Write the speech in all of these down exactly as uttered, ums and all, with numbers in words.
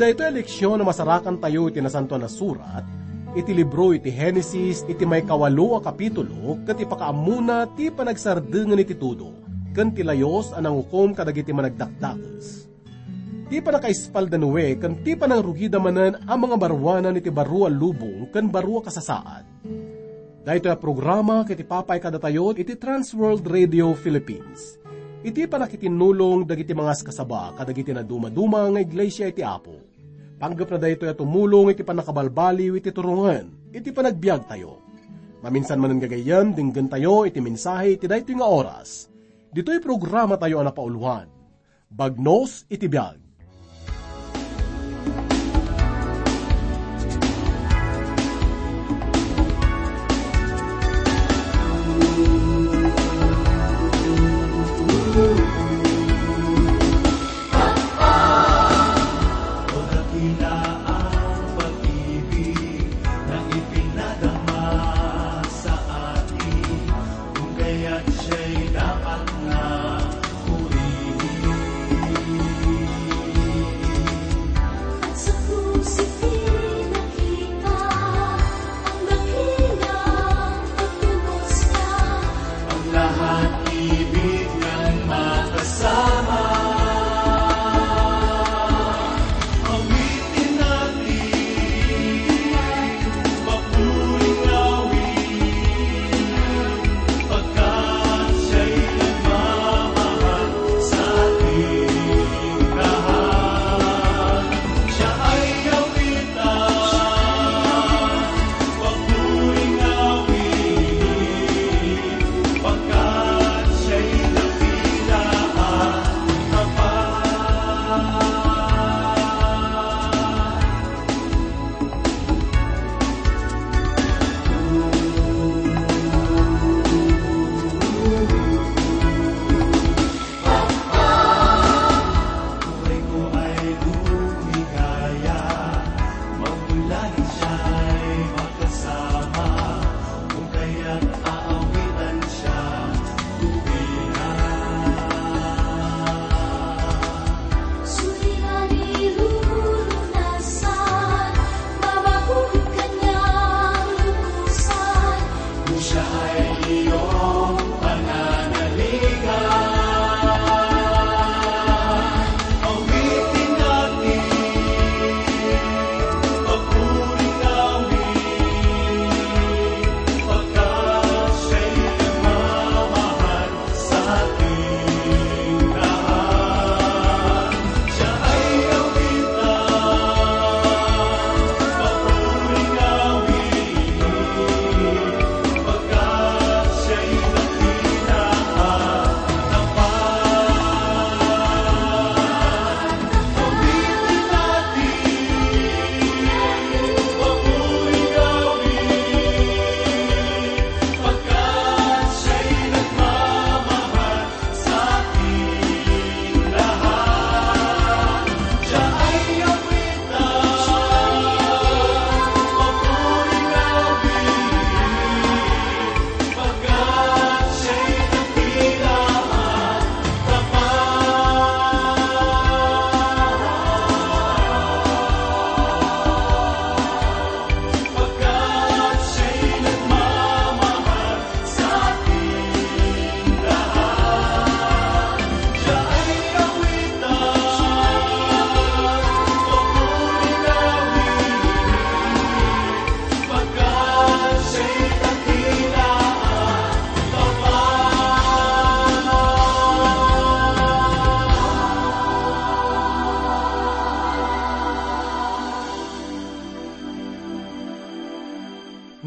Daytoy a leksion a masarakantayo iti Nasantoan a Surat, iti libro iti Genesis, iti maikawalo a kapitulo, ket ipakaammona ti panagsardengen iti tudo, ken ti layus a nangukom kadagiti managdakdakes. Ti pannakaispal da Noe, ken ti panangrugida manen a mangabaruanan iti baro a lubong ken baro a kasasaad. Daytoy a programa ket ipapay kadatayo iti Trans World Radio Philippines. Iti pannakitinnulong dagiti mangaskasaba kadagiti nadumaduma nga iglesia iti Apo. Panggepna daytoy a tumulong iti pannakabalbaliw iti turongen iti panagbiagtayo. Maminsan manen gagayyem, denggentayo iti mensahe iti daytoy nga oras. Ditoy programatayo a napauloan. Bagnos iti biag.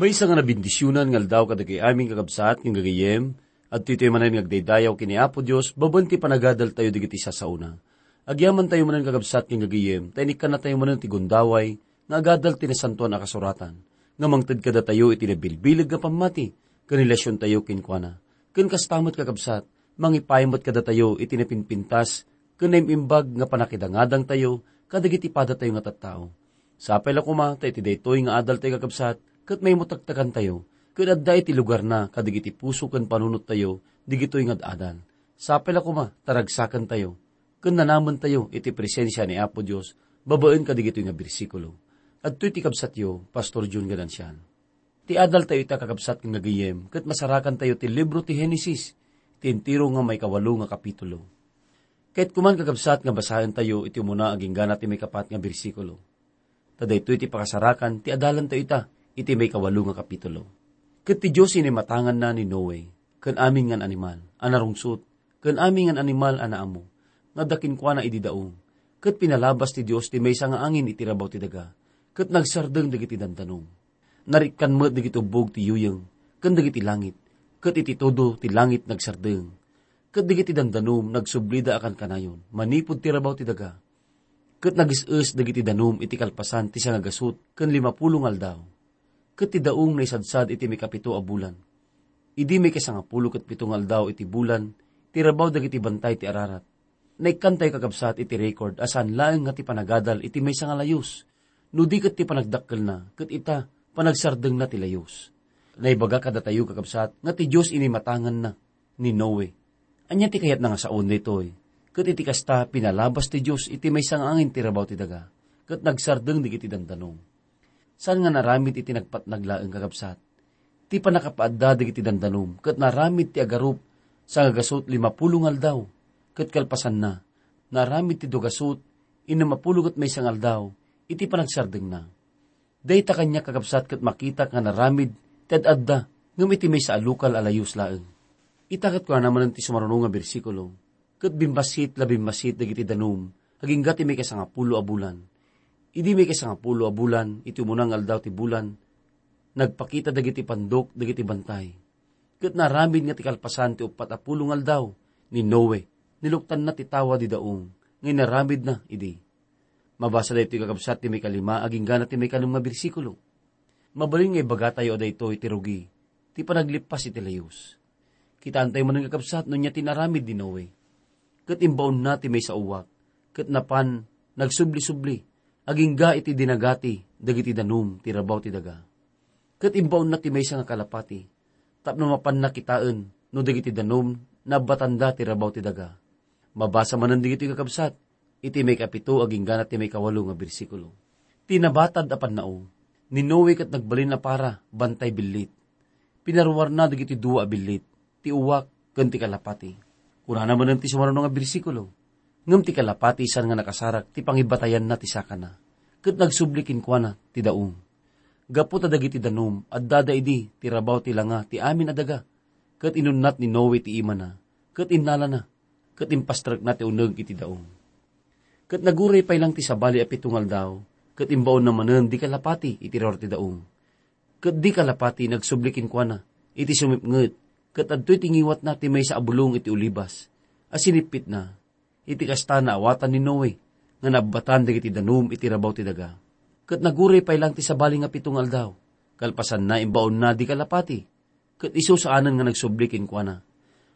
Maysa nga nabendisionan nga aldaw kadagiti amin, kakabsat ken gagayyem. Adtoy tayo manen nga agdaydayaw ken ni Apo Dios babaen ti panagadaltayo dagiti sasao na. Agyamantayo manen, kakabsat ken gagayyem, ta inikkannatayo manen ti gundaway nga agadal ti Nasantoan a Kasuratan, nga mangted kadatayo iti nabilbileg nga pammati ken relasiontayo kenkuana. Ken kasta met, kakabsat, mangipaay met kadatayo iti napinpintas ken naim-imbag nga pannakidangadangtayo kadagiti padatayo nga tattao. Sapay la koma ta iti daytoy nga adaltayo, kakabsat, ket maimmutaktakantayo ken adda iti lugarna kadagiti puso ken panunottayo dagitoy nga ad-adal. Sapay la koma ta ragsakentayo ken nanamentayo iti presensia ni Apo Dios Babaen kadagitoy nga bersikulo, adtoy ti kabsatyo, Pastor Jun Ganancian. Ti adaltayo ita, kakabsat nga gagayem, ket masarakantayo ti libro ti Henesis, ti entero nga maikawalo nga kapitulo. Ket kuman, kakabsat, nga basaentayo iti umuna agingga na ti maikapat nga bersikulo. Ta daytoy ti pakasarakan ti adalantayo ita iti maikawalo nga kapitulo. Ket ti Dios inimatanganna ni Noe, ken amin nga animal a narungsot, ken amin nga animal a naammo, nga adda kenkuana idi daong. Ket pinalabas ti Dios ti maysa nga angin iti rabaw ti daga, ket nagsardeng dagiti dandanom. Narikkan met dagiti ubbog ti yuyeng, ken dagiti langit, ket iti todo ti langit nagsardeng. Ket dagiti dandanom nagsublida a kankanayon manipud ti rabaw ti daga. Ket nagis-es dagiti danum iti kalpasan ti sangagasut ken limapulo nga aldaw. Ket ti daong naisadsad iti maikapito a bulan. Idi maikasangapulo ket pito nga aldaw iti bulan, ti rabaw dagiti bantay ti Ararat. Naikkantayo, kakabsat, iti record a saan laeng nga ti panagadal iti maysa nga layus, no di ket ti panagdakkelna, ket ita, panagsardengna ti layus. Naibaga kadatayo, kakabsat, nga ti Dios inimatanganna ni Noe. Ania ti kayatna nga saon daytoy? Ket iti kasta, pinalabas ti Dios iti maysa nga angin ti rabaw ti daga, ket nagsardeng dagiti dandanom. Saan nga naramid iti nagpatnag laeng, kakabsat. Ti pannakapaadda dagiti dandanom ket naramid ti agarup sangagasut limapulo nga aldaw, ket kalpasanna, naramid ti duagasut innumapulo ket maysa nga aldaw iti panagsardengna. Dayta kaniak, kakabsat, ket makitak nga naramid ti ad-adda, ngem iti maysa a lokal a layus laeng. Ita ket kunana manen ti sumaruno nga bersikulo, ket bimmassit la bimmassit dagiti danum agingga ti maikasangapulo a bulan. Idi maikasangapulo a bulan, iti umuna nga aldaw ti bulan, nagpakita dagiti pandok dagiti bantay. Ket naramid nga ti kalpasan ti uppat a pulo nga aldaw ni Noe, niluktanna ti tawa di daong nga inaramidna idi. Mabasa daytoy, kakabsat, ti maikalima agingga na ti maikanem nga bersikulo. Mabalin nga ibagatayo a daytoy ti rugi ti panaglippas iti layus. Kitaentayo manen, kakabsat, no ania ti inaramid ni Noe. Ket imbaonna ti maysa a uwak, ket napan nagsubli-subli agingga iti dinagati dagiti danum ti rabaw ti daga. Ket imbaonna ti maysa nga kalapati, tapno mapanna kitaen no dagiti danum naabbatanda ti rabaw ti daga. Mabasa manen dagitoy, kakabsat, iti maikapito agingga na ti maikawalo nga bersikulo. Ti nabatad a pannao, ni Noe ket nagbalin a para bantay billit. Pinaruarna dagiti dua a billit, ti uwak ken ti kalapati. Kunana manen ti sumaruno nga bersikulo, ngem ti kalapati saan nga nakasarak ti pangibatayanna ti sakana, ket nagsubli kenkuana ti daong. Gapu ta dagiti danum, addada idi ti rabaw ti langa ti amin a daga, ket inunnat ni Noe ti imana, ket innalana, ket impastrekna ti uneg iti daong. Ket naguray pay lang ti sabali a pito nga aldaw, ket imbaonna manen di kalapati iti ruar ti daong. Ket di kalapati nagsubli kenkuana iti sumipnget, ket adtoy ti ngiwatna ti maysa a bulong iti ulibas a sinippitna. Iti kasta, naawatan ni Noe nga naabbatan dagiti danum iti rabaw ti daga. Ket naguray pay lang ti sabali nga pito nga aldaw, kalpasanna, imbaonna di kalapati, ket isu saanen nga nagsubli kenkuana.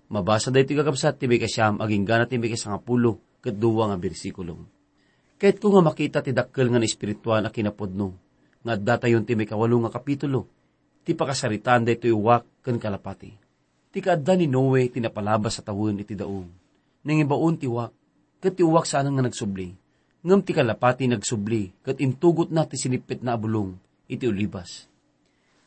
Mabasa daytoy, kakabsat, ti maikasiam agingga na ti maikasangapulo ket dua nga bersikulo. Kayatko nga makita ti dakkel nga naespirituan a kinapudno nga addatayon ti maikawalo nga kapitulo, ti pakasaritaan daytoy uwak ken kalapati. Ti kaadda ni Noe ti napalabas a tawen iti daong. Nangibaon ti uwak, ket ti uwak saanen nga nagsubli, ngem ti kalapati nagsubli ket intugotna ti sinippitna a bulong iti ulibas.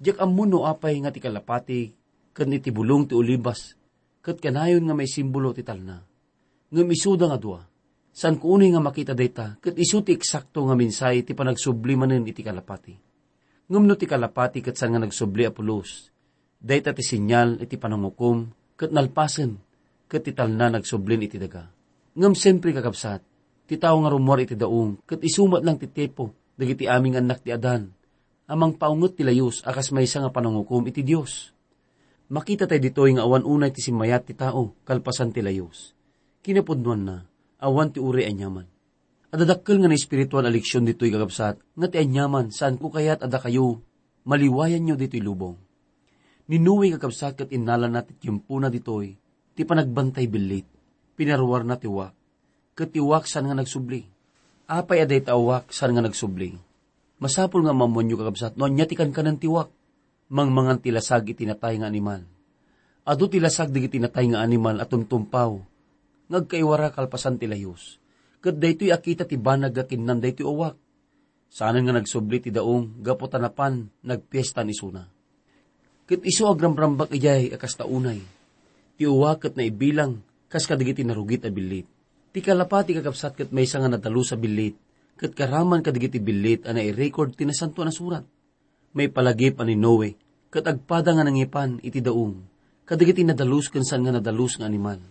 Diak ammo no apay nga ti kalapati ken iti bulong ti ulibas ket kanayon nga maisimbolo ti talna. Ngem isuda nga dua. Saanko unay nga makita dayta, ket isu ti eksakto nga mensahe ti panagsubli manen iti kalapati. Ngem no ti kalapati ket saan nga nagsubli a pulos, dayta ti senyal iti panangukom ket nalpasen, ket ti talna nagsublin iti daga. Ngem sentro, kakabsat, ti tao nga rummuar iti daong ket isu met lang ti tipo dagiti amin nga annak ti Adan a mangpaunget ti layus a kas maysa nga panangukom iti Dios. Makita tayo ditoy nga awan unay ti simmayat ti tao kalpasan ti layus. Kinapudnuanna, awan ti uray aniaman. Adda dakkel nga naespirituan a leksion ditoy, kakabsat, nga ti aniaman, saanko kayat a dakayo maliwayanyo ditoy lubong. Ni Noe, kakabsat, ket innalana ti tiempona ditoy ti panagbantay billit. Pinaruarna ti uwak, ket ti uwak saan nga nagsubli. Apay a dayta a uwak saan nga nagsubli? Masapul nga maammoanyo, kakabsat, no ania ti kankanen ti uwak. Mangmangan ti lasag iti natay nga animal. Adu ti lasag dagiti natay nga animal a tumtumpaw nga agkaiwara kalpasan ti layus. Ket daytoy a kita ti banag nga kinnan daytoy uwak. Saanen nga nagsubli ti daong gapu ta napan nagpiestan isuna. Ket isu agramrambak idiay a kasta unay. Ti uwak ket naibilang kas kadagiti narugit a billit. Ti kalapati, kakabsat, ket maysa nga nadalus a billit, ket karaman kadagiti billit a nairecord ti Nasantoan a Surat. Maipalagip a ni Noe, ket agpada nga nangipan iti daong, kadagiti nadalus ken saan nga nadalus nga animal.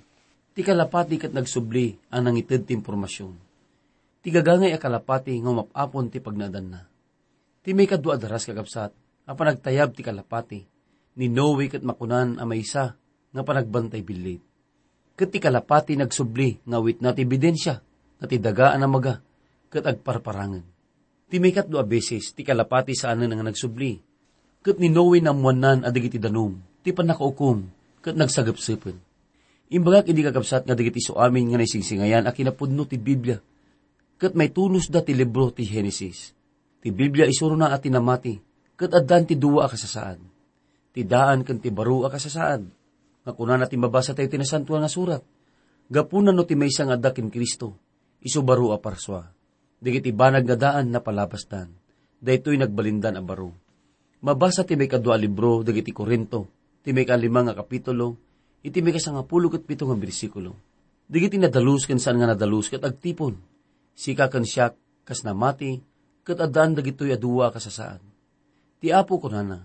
Ti kalapati ket nagsubli a nangited ti impormasion. Ti gagangay a kalapati nga umap-apon ti pagnaadanna. Ti maikadua a daras, kakabsat, a panagtayab ti kalapati, ni Noe ket makunan a maysa nga panagbantay billit. Ket ti kalapati nagsubli nga awitna ti ebidensia nga ti daga a namaga ket agparparangen. Ti maikatlo a beses, ti kalapati saanen nga nagsubli. Ket ni Noe naammoannan a dagiti danum ti pannakaukom ket nagsagepsepen. Imbagak idi, kakabsat, nga dagiti isu amin nga naisingsingayan a kinapudno ti Biblia ket maitunusda ti libro ti Genesis. Ti Biblia isurona a ti namati ket addan ti dua a kasasaad, ti daan ken ti baro a kasasaad. Nga kunana ti mabasatayo ti Nasantoan nga Surat, gapuna no ti maysa nga adda ken Cristo, isu baro a parsua. Dagiti banag nga daan napalabasdan, daytoy nagbalindan a baro. Mabasa ti maikadua a libro dagiti Corinto, ti maikalima nga kapitulo, iti maikasangapulo ket pito nga bersikulo. Dagiti nadalus ken saan nga nadalus ket agtipon. Sika ken siak kas namati, ket addaan dagitoy a dua a kasasaad. Ti Apo kunana,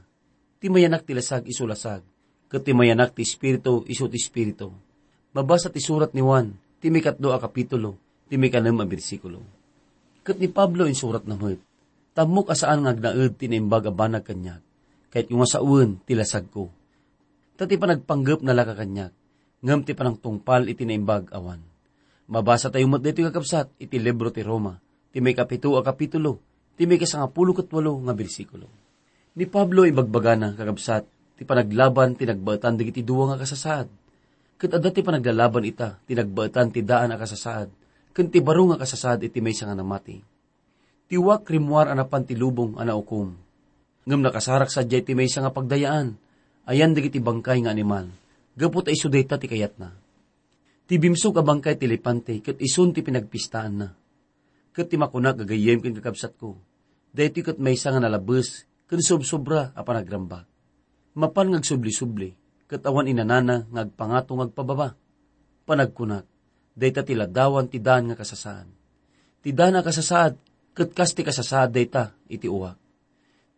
"Ti mayanak ti lasag isu lasag, ket ti mayanak ti Espiritu isu ti Espiritu." Mabasa ti surat ni Juan, ti maikatlo a kapitulo, ti maikanem a bersikulo. Ket ni Pablo insuratna met, "Tammok a saan nga agnaed ti naimbag a banag kaniak, kayatko nga sawen ti lasagko." Ta ti panagpanggep nalaka kaniak, ngem ti panangtungpal iti naimbag awan. Mabasatayo met daytoy, kakabsat, iti libro ti Roma, ti maikapito a kapitulo, ti maikasangapulo ket walo nga bersikulo. Ni Pablo ibagbagana, kakabsat, ti panaglaban ti nagbaetan dagiti dua nga kasasaad. Ket adda ti panaglalaban ita ti nagbaetan ti daan a kasasaad ken ti baro nga kasasaad iti maysa nga namati. Ti uwak rimmuar a napan ti lubong a naukom. Ngem nakasarak sadiay ti maysa nga pagdayaan, ayan dagiti bangkay nga animal, gapu ta isu dayta ti kayatna. Ti bimsog a bangkay ti elepante ket isun ti pinagpistaanna. Ket ti makunak, gagayyem ken kakabsatko, daytoy ket maysa nga nalabes ken sobsobra a panagrambak. Mapan nga agsubli-subli, ket awan inanana nga agpangato nga agpababa. Panagkunak, dayta ti ladawan ti daan nga kasasaad. Ti daan a kasasaad, ket kas ti kasasaad dayta iti uwak.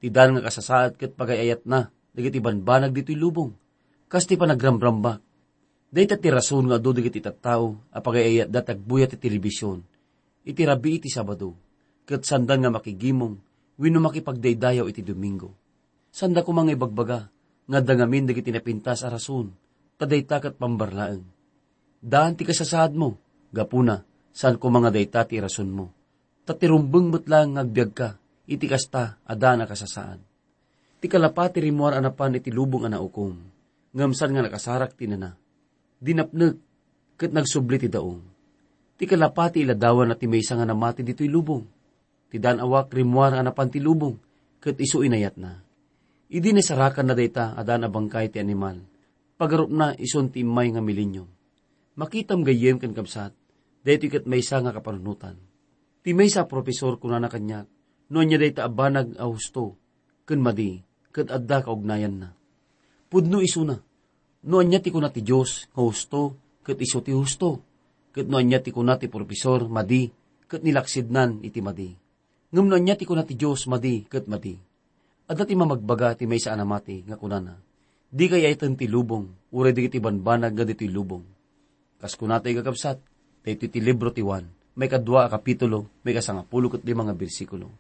Ti daan nga kasasaad ket pagay-ayatna dagiti banbanag ditoy lubong, kas ti panagramrambak. Dayta ti rason nga adu dagiti tattao a pagay-ayatda ti agbuya ti telebision iti rabii ti Sabado, ket saanda nga makigimong wenno makipagdaydayaw iti Domingo. Saanda koma nga ibagbaga nga adda ngamin dagiti napintas a rason, ta dayta ket pambarlaeng. Daan ti kasasaadmo, gapuna, saan koma nga dayta ti irasonmo. Ta ti rumbeng met laeng nga agbiagka iti kasta a daan a kasasaad. Ti kalapati rimmuar a napan iti lubong a naukom, ngem saan nga nakasarak ti nana. Dinapnek, ket nagsubli ti daong. Ti kalapati iladawanna ti maysa nga namati ditoy lubong. Ti daan a uwak rimmuar a napan ti lubong, ket isu inayatna. Idi nasarakanna dayta a daan a bangkay ti animal, pagarupna isun ti immay nga milenium. Makitam gayyem ken kabsat, daytoy ket maysa nga kapanunotan. Ti maysa a profesor kunana kaniak, no ania dayta a banag a husto ken madi, ket adda kaugnayanna. Pudno isuna, no ania ti kuna ti Dios nga husto, ket isu ti husto, ket no ania ti kuna ti profesor madi, ket nilaksidnan iti madi. Ngem no ania ti kuna ti Dios madi ket madi. Adda ti mamagbaga ti maysa a namati nga kunana, "Dika ay-ayaten ti lubong, uray dagiti banbanag nga ditoy lubong." Kas kunatayo, kakabsat, daytoy ti libro ti Juan, maikadua a kapitulo, maikasangapulo ket lima nga bersikulo.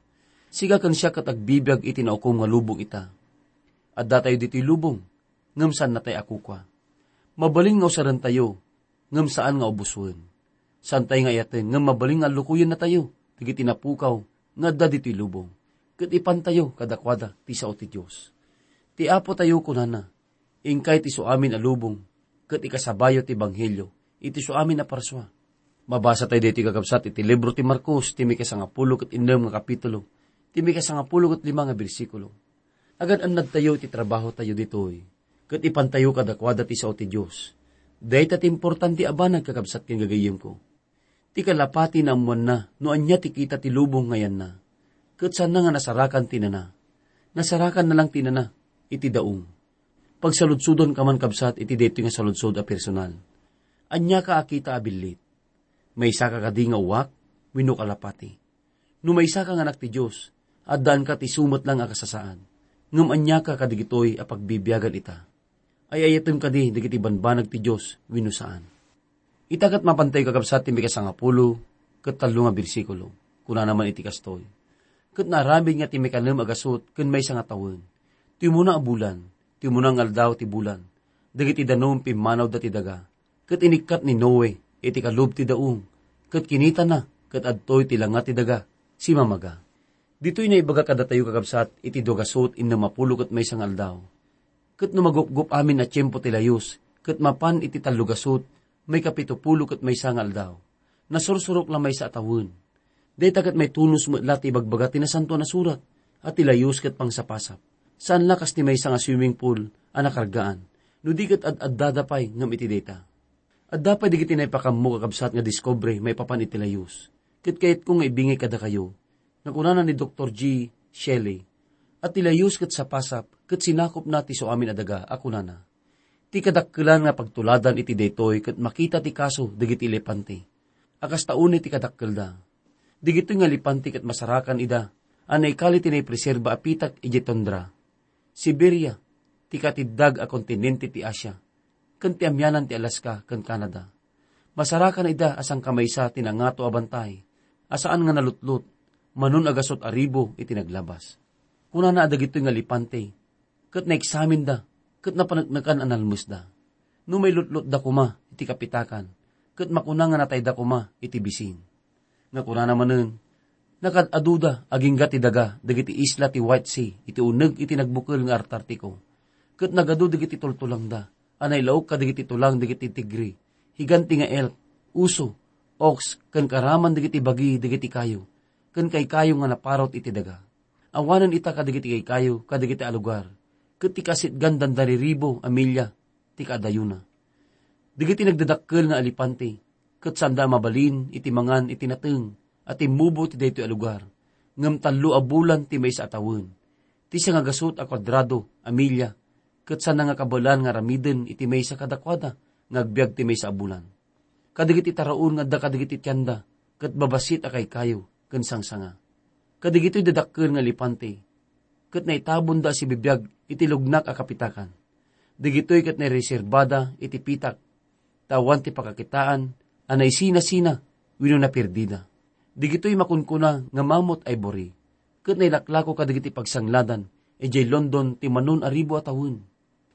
Sika ken siak ket agbibiag iti naukom nga lubong ita. Addatayo ditoy lubong, ngem saannatay a kukua. Mabalin nga usarentayo, ngem saan nga ubusen. Saantay nga ayaten, ngem mabalin nga allukoyennatayo dagiti napukaw nga adda ditoy lubong, ket ipantayo kadakuada ti sao ti Dios. Ti Apotayo kunana, "Inkay ti isuamin a lubong, ket ikasabayo ti ebanghelio iti isuamin a parsua." Mabasa tayo daytoy, kakabsat, iti libro ti Marcos, ti maikasangapulo ket innem nga kapitulo, ti maikasangapulo ket lima nga bersikulo. Agan-annadtayo iti trabahotayo ditoy, ket ipantayo kadakuada ti sao ti Dios. Dayta ti importante a banag, kakabsat ken gagayyemko. Ti kalapati naammoanna no ania ti kita ti lubong nga yanna, ket saanna nga nasarakan ti nana. Nasarakanna lang ti nana iti daong. Pagsaludsodon ka man, kabsat, iti daytoy nga saludsod a personal. Aniaka a kita a billit? Maysaka kadi nga uwak wenno kalapati? No maysaka nga anak ti Dios, addaanka ti isu met lang a kasasaan. Ngem aniaka kadigitoy a pagbibiagan ita? Ay-ayatem kadi dagiti banbanag ti Dios wenno saan? Ita ket mapantayo, kakabsat, ti mikasangapulo ket tallo nga bersikulo. Kunana man iti kastoy, "Ket naaramid nga ti mikanem a gasut ken maysa nga tawen, ti umuna a bulan, ti umuna nga aldaw ti bulan, dagiti danum pimmanawda ti daga. Ket inikkat ni Noe iti kalub ti daong, ket kinitana ket adtoy ti langa ti daga, simamaga." Ditoy naibaga kadatayo, kakabsat, iti dua gasut innem a pulo ket maysa nga aldaw. Ket no magupgop amin a tiempo ti layus, ket mapan iti tallo gasut, maikapito pulo ket maysa nga aldaw, nasursurok la maysa a tawen. Dayta ket maitunos met la ti ibagbaga ti Nasantoan a Surat, a ti layus ket pangsapasap. Saan la kas ti maysa nga swimming pool a nakargaan, no di ket ad-addada pay ngem iti dayta. Adda pay dagiti naipakammo, kakabsat, nga diskobre maipapan iti layus. Ket kayatko nga ibingay kadakayo nga kunana ni Doktor G. Shelley, a ti layus ket sapasap ket sinakopna ti isuamin a daga, a kunana, "Ti kadakkelan nga pagtuladan iti daytoy ket makita ti kaso dagiti elepante a kasta unay ti kadakkelda. Dagitoy nga elepante ket masarakan ida a naikali ti naipreserba a pitak idiay tundra, Siberia, ti katiddag a kontinente ti Asia, ken ti amianan ti Alaska ken Canada. Masarakan ida a sangkamaysa ti nangato a bantay a saan nga nalutlot, manon a gasut a ribu iti naglabas." Kunana a dagitoy nga elepante ket naeksaminda ket napaneknekan a nalmesda. No mailutlotda koma iti kapitakan, ket makuna nga natayda koma iti bisin. Nga kunana manen, nakad-aduda agingga ti daga dagiti isla ti White Sea iti uneg iti nagbukel nga Artartiko, ket nagadu dagiti tultulangda a nailaok kadagiti tulang dagiti tigre, higanti nga elk, uso, ox, ken karaman dagiti bagi dagiti kayo, ken kaykayo nga naparut iti daga. Awanen ita kadagiti kaykayo kadagiti a lugar, ket ti kasitgan dandariribu a milya ti kaadayona. Dagiti nagdadakkel nga elepante, ket saanda a mabalin iti mangan iti nateng a timmubo ti daytoy a lugar, ngem tallo a bulan ti maysa a tawen. Ti siangagasut a kuadrado a milya, ket saanda nga kabaelan nga aramiden iti maysa kadakuada nga agbiag ti maysa a bulan. Kadagiti taraon nga adda kadagiti tienda ket babassit a kaykayo ken sangsanga. Kadagitoy dadakkel nga elepante ket naitabonda a sibibiag iti lugnak a kapitakan. Dagitoy ket naireserbada iti pitak, ta awan ti pakakitaan a naisinasina wenno napirdida. Dagitoy makunkuna nga mammoth ivory, ket nailaklako kadagiti pagsangladan idiay London ti manon a ribu a tawen.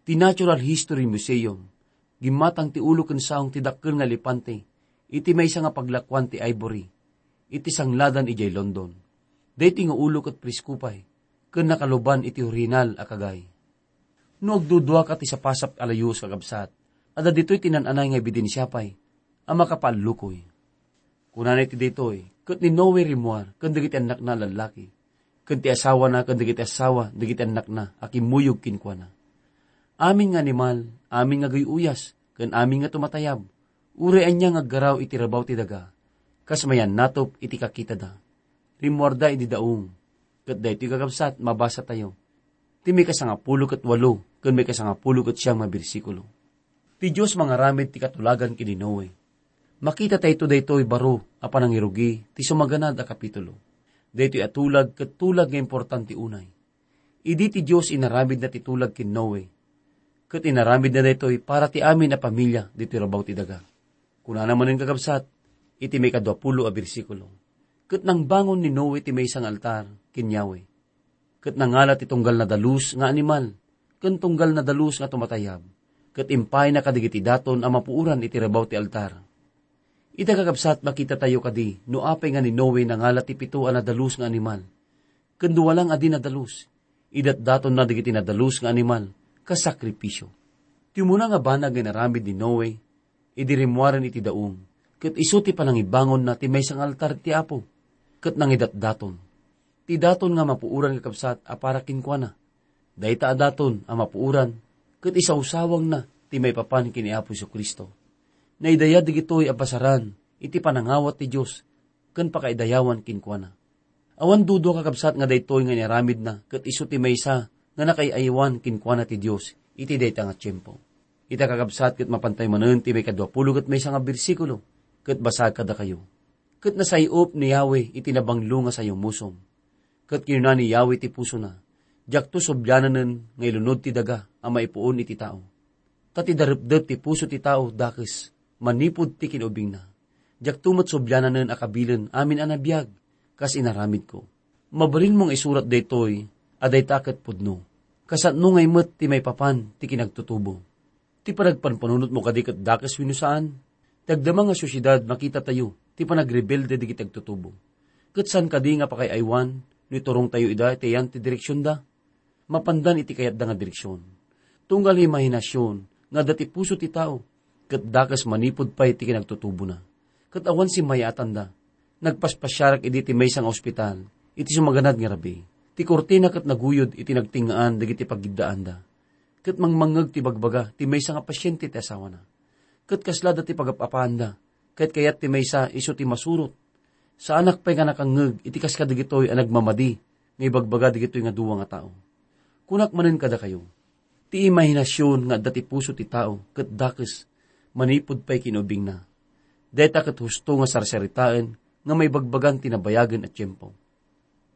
Ti Natural History Museum, gimmatang ti ulo ken saong ti dakkel nga elepante iti maysa nga paglakuan ti ivory iti sangladan idiay London. Daytoy nga ulo ket presko pay ken nakaluban iti orihinal a kagay. No agduduaka ti sapasap a layus, kakabsat, adda ditoy ti naan-anay nga ebidensia pay a makapaallukoy. Kunana iti daytoy, ket ni Noe rimmuar ken dagiti annakna a lallaki, ken ti asawana ken dagiti asawa dagiti annakna a kimmuyog kenkuana. Amin nga animal, amin nga guy-uyas, ken amin nga tumatayab, uray ania nga aggaraw iti rabaw ti daga, kas mayannatop iti kakitada, rimmuarda idi daong. Ket daytoy, kakabsat, mabasatayo ti maikasangapulo ket walo ken maikasangapulo ket siam nga bersikulo. Ti Dios mangaramid ti katulagan ken ni Noe. Makitatayto daytoy baro a panangirugi ti sumaganad a kapitulo. Daytoy a tulag ket tulag nga importante unay. Idi ti Dios inaramidna ti tulag ken Noe, ket inaramidna daytoy para ti amin a pamilia ditoy rabaw ti daga. Kunana manen, kakabsat, iti maikadua pulo a bersikulo, "Ket nangbangon ni Noe ti maysa nga altar ken Yahweh, ket nangala ti tunggal nadalus nga animal ken tunggal nadalus nga tumatayab, ket impayna kadagiti daton a mapuoran iti rabaw ti altar." Ita, kakabsat, makitatayo kadi no apay nga ni Noe nangala ti pito a nadalus nga animal ken dua lang a di nadalus. Idatdatonna dagiti nadalus nga animal kas sakrifisio. Ti umuna nga banag nga inaramid ni Noe idi rimmuaren iti daong, ket isu ti panangibangonna ti maysa nga altar ti Apo, ket nangidatdaton. Ti daton nga mapuoran, kakabsat, a para kenkuana. Dayta a daton a mapuoran ket isawsawangna ti maipapan ken ni Apo Jesu-Cristo. Naidayag dagitoy a pasaran iti panangawat ti Dios ken pakaidayawan kenkuana. Awan duda, kakabsat, nga daytoy nga inaramidna ket isu ti maysa nga nakaay-aywan kenkuana ti Dios iti dayta nga tiempo. Ita, kakabsat, ket mapantayo manen ti maikadua pulo ket maysa nga bersikulo, ket basaek kadakayo. Ket nasay-op ni Yahweh iti nabanglo nga sayumusom. Ket kinuna ni Yahweh ti pusona, "Diakto subliananen nga ilunod ti daga a maipuon iti tao. Ta ti darepdep ti puso ti tao dakes manipud ti kinubingna. Diakto met subliananen a kabilen amin a nabiag, kas inaramidko." Mabalinmo nga isurat daytoy a dayta ket pudno. Kasano ngay met ti maipapan ti kinagtutubo? Ti panagpanpanunotmo kadi ket dakes wenno saan? Ti agdama nga sosyedad, makitatayo ti panagrebelde dagiti agtutubo. Ket saan kadi nga pakaay-aywan no iturongtayo ida iti ayan ti direksionda? Mapandan iti kayatda nga direksion. Tunggal imahinasion nga adda ti puso ti tao, ket dakes manipud pay ti kinagtutubona. Ket awan simmayatanda. Nagpaspasiarak idi ti maysa nga ospital iti sumaganad nga rabii. Ti kurtina ket naguyod iti nagtingngaan dagiti pagiddaanda. Ket mangmangngeg ti bagbaga ti maysa nga pasiente ti asawana. Ket kasla adda ti pagap-apaanda, ket kayat ti maysa isu ti masurot. Saanak pay nga nakangngeg iti kas kadagitoy a nagmamadi nga ibagbaga dagitoy nga dua nga tao. Kunak manen kadakayo, ti imahinasion nga adda ti puso ti tao ket dakes manipud pay kinubingna. Dayta ket husto nga sarsaritaen nga maibagbagan ti nabayagen a tiempo.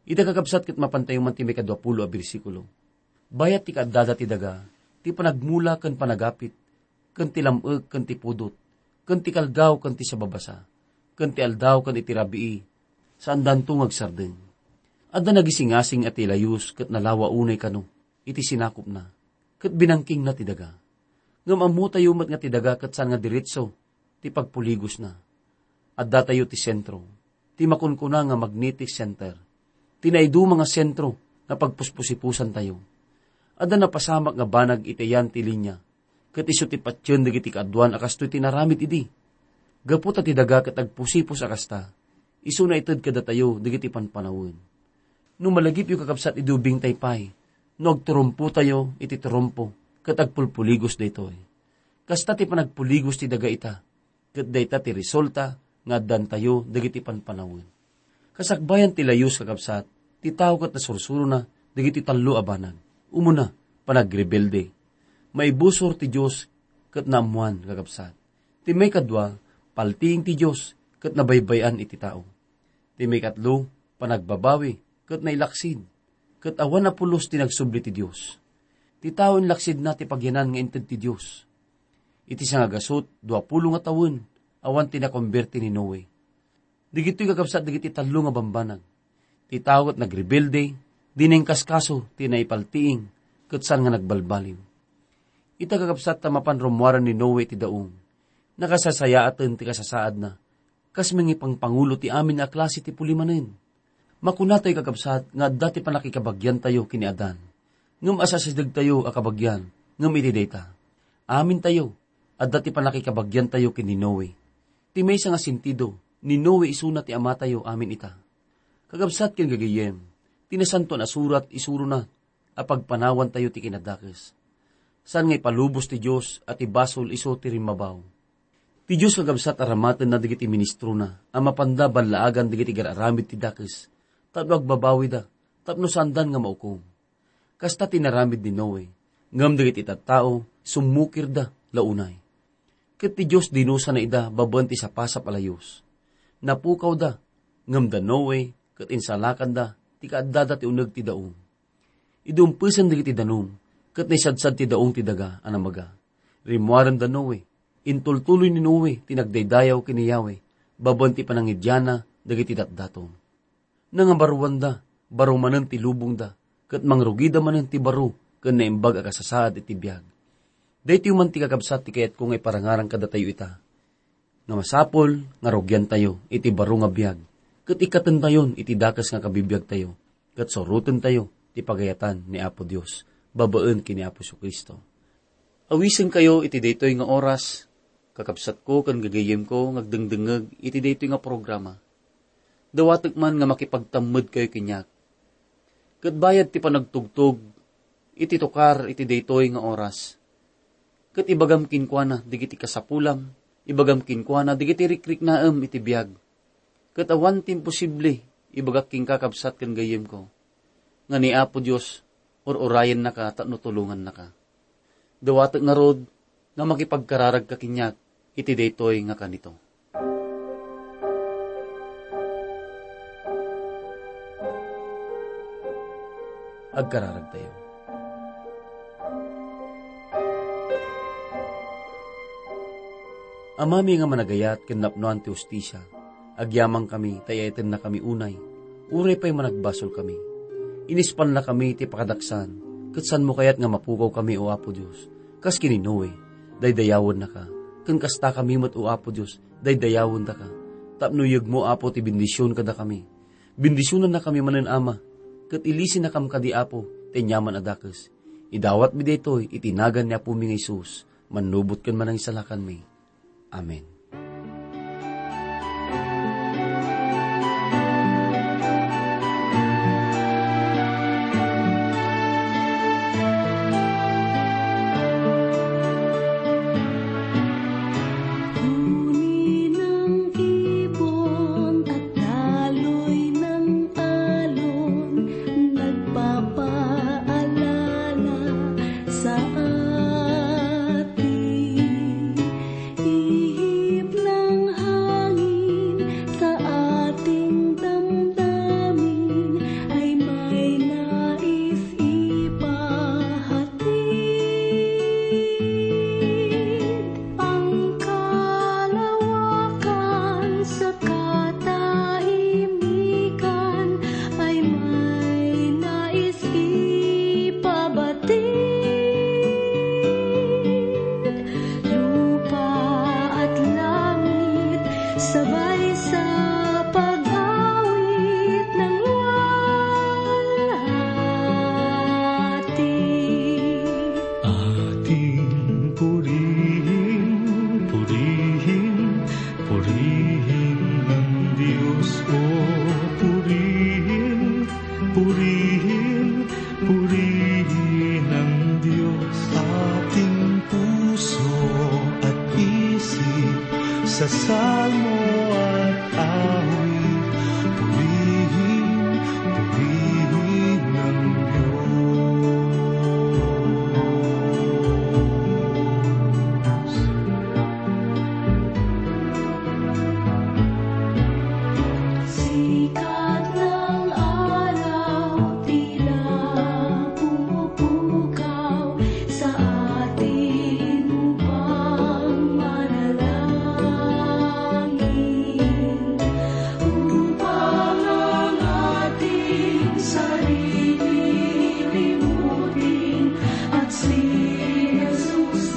Ita, kakabsat, ket mapantayo man ti maikadua pulo a bersikulo. Bayat ti kaaddada ti daga, ti panagmula ken panagapit, ken ti lam-ek ken ti pudot, ken ti kalgaw ken ti sababasa, ken ti aldaw ken iti rabii, saandanto nga agsardeng. Adda nagisingasing a ti layus ket nalawa unay kano iti sinakopna, ket binangkingna ti daga. Ngem ammotayo met nga ti daga ket saan nga diretso ti pagpuligosna. Addatayo ti sentro, ti makunkuna nga magnetic center, ti naiduma nga sentro nga pagpuspusipusantayo. Adda napasamak nga banag iti ayan ti linia, ket isu ti patien dagiti kaaduan a kastoy ti naramid idi. Gapu ta ti daga ket agpusipus a kasta, isuna ited kadatayo dagiti panpanawen. No malagipyo, kakabsat, idi ubingtay pay, no agturumpotayo iti turumpo ket agpulpuligos daytoy. Kasta ti panagpuligos ti daga ita, ket dayta ti resulta nga addantayo dagiti panpanawen. Kasakbayan ti layus, kakabsat, ti tao ket nasursurona dagiti tallo a banag. Umuna, panagrebelde. Maibusor ti Dios ket naammoan, kakabsat. Ti maikadua, paltiing ti Dios ket nabaybay-an iti tao. Ti maikatlo, panagbabawi ket nailaksid, ket awan a pulos ti nagsubli ti Dios. Ti tao inlaksidna ti pagyanan nga inted ti Dios. Iti sangagasut, duapulo nga tawen, awan ti nakomberti ni Noe. Dagitoy, kakabsat, dagiti tallo nga bambanag. Ti tao ket nagrebelde, dina inkaskaso ti naipaltiing, ket saan nga nagbalbaliw. Ita, kakabsat, ta mapan rummuaren ni Noe ti daong, nakasarsayaaten ti kasasaadna, kas mangipangpangulo ti amin a klase ti pulimanen. Makunatayo, kakabsat, nga adda ti pannakikabagiantayo ken ni Adan, ngem asasidegtayo a kabagian ngem iti dayta. Amintayo, adda ti pannakikabagiantayo ken ni Noe. Ti maysa nga sentido, ni Noe isuna ti amatayo amin ita. Kakabsat ken gagayyem, ti Nasantoan a Surat isurona a pagpanawantayo ti kinadakes. Saan nga ipalubos ti Dios a ti basol isu ti rimmabaw. Ti Dios, kakabsat, aramatenna dagiti ministrona a mapanda ballaagan dagiti gar-aramid ti dakes tapno agbabawida, tapno saandan nga maukom. Kasta ti inaramid ni Noe, ngem dagiti tattao summukirda la unay. Ket ti Dios dinusana ida babaen ti sapasap a layus. Napukawda, ngem da Noe ket insalakanda ti kaaddada ti uneg ti daong. Idi umpesen dagiti danum, ket naisadsad ti daong ti daga a namaga. Rimmuaren da Noe. Intultuloy ni Noe ti nagdaydayaw ken ni Yahweh babaen ti panangidianna dagiti datdaton. Nangabaruanda, baro manen ti lubongda, ket mangrugida manen ti baro ken naimbag a kasasaad iti biag. Daytoy man ti, kakabsat, ti kayatko nga iparangarang kadatayo ita, nga masapul nga rugiantayo iti baro nga biag, ket ikkatentayon iti dakes nga kabibiagtayo, ket surotentayo ti pagayatan ni Apo Dios babaen ken ni Apo Jesu-Cristo. Awisenkayo iti daytoy nga oras, kakabsatko ken gagayyemko nga agdengdengngeg iti daytoy nga programa. Dawatek man nga makipagtammedkayo kaniak. Ket bayad ti panagtugtog iti tukar iti daytoy nga oras, ket ibagam kenkuana dagiti kasapulam Ibagam kenkuana dagiti rikriknaem iti biag. Ket awan ti imposible, ibagak kenka, kabsat ken gayyemko, nga ni Apo Dios ur-urayennaka tapno tulongannaka. Dawatek ngarud nga makipagkararagka kaniak iti daytoy nga kanito. Agkararagtayo. Amami nga managayat ken napnoan ti hustisia, agyamankami ta iyaatennakami unay, uray pay managbasolkami. Inispannakami ti pakadaksan, ket saanmo kayat nga mapukawkami, O Apo Dios, kas ken ni Noe, daydayawennaka, ken kastakami met, O Apo Dios, daydayawendaka, tapno iyegmo, Apo, ti bendision kadakami. Bendisionannakami manen, Ama, ket ilisennakam kadi, Apo, ti aniaman a dakes. Idawatmi daytoy iti nagan ni Apomi nga Jesus, mannubot ken Manangisalakanmi. Amen. Uni nang ibon at daloy nang alon, nagpapaalala sa atin. Ihip ng hangin sa ating damdamin ay may nais ipahatid. Ang kalawakan sa katahimikan ay may nais ipabatid. Lupa at langit sabay sa pag-awit ng luwalhati. Ating purihin, purihin, purihin ang Diyos, o purihin, purihin, purihin ang Diyos. Ating puso at isip sa salmo at awit, purihin, purihin ang Diyos. Sikat ng araw tila pumupukaw sa atin upang manalangin, upang ang ating sarili limutin at si Jesus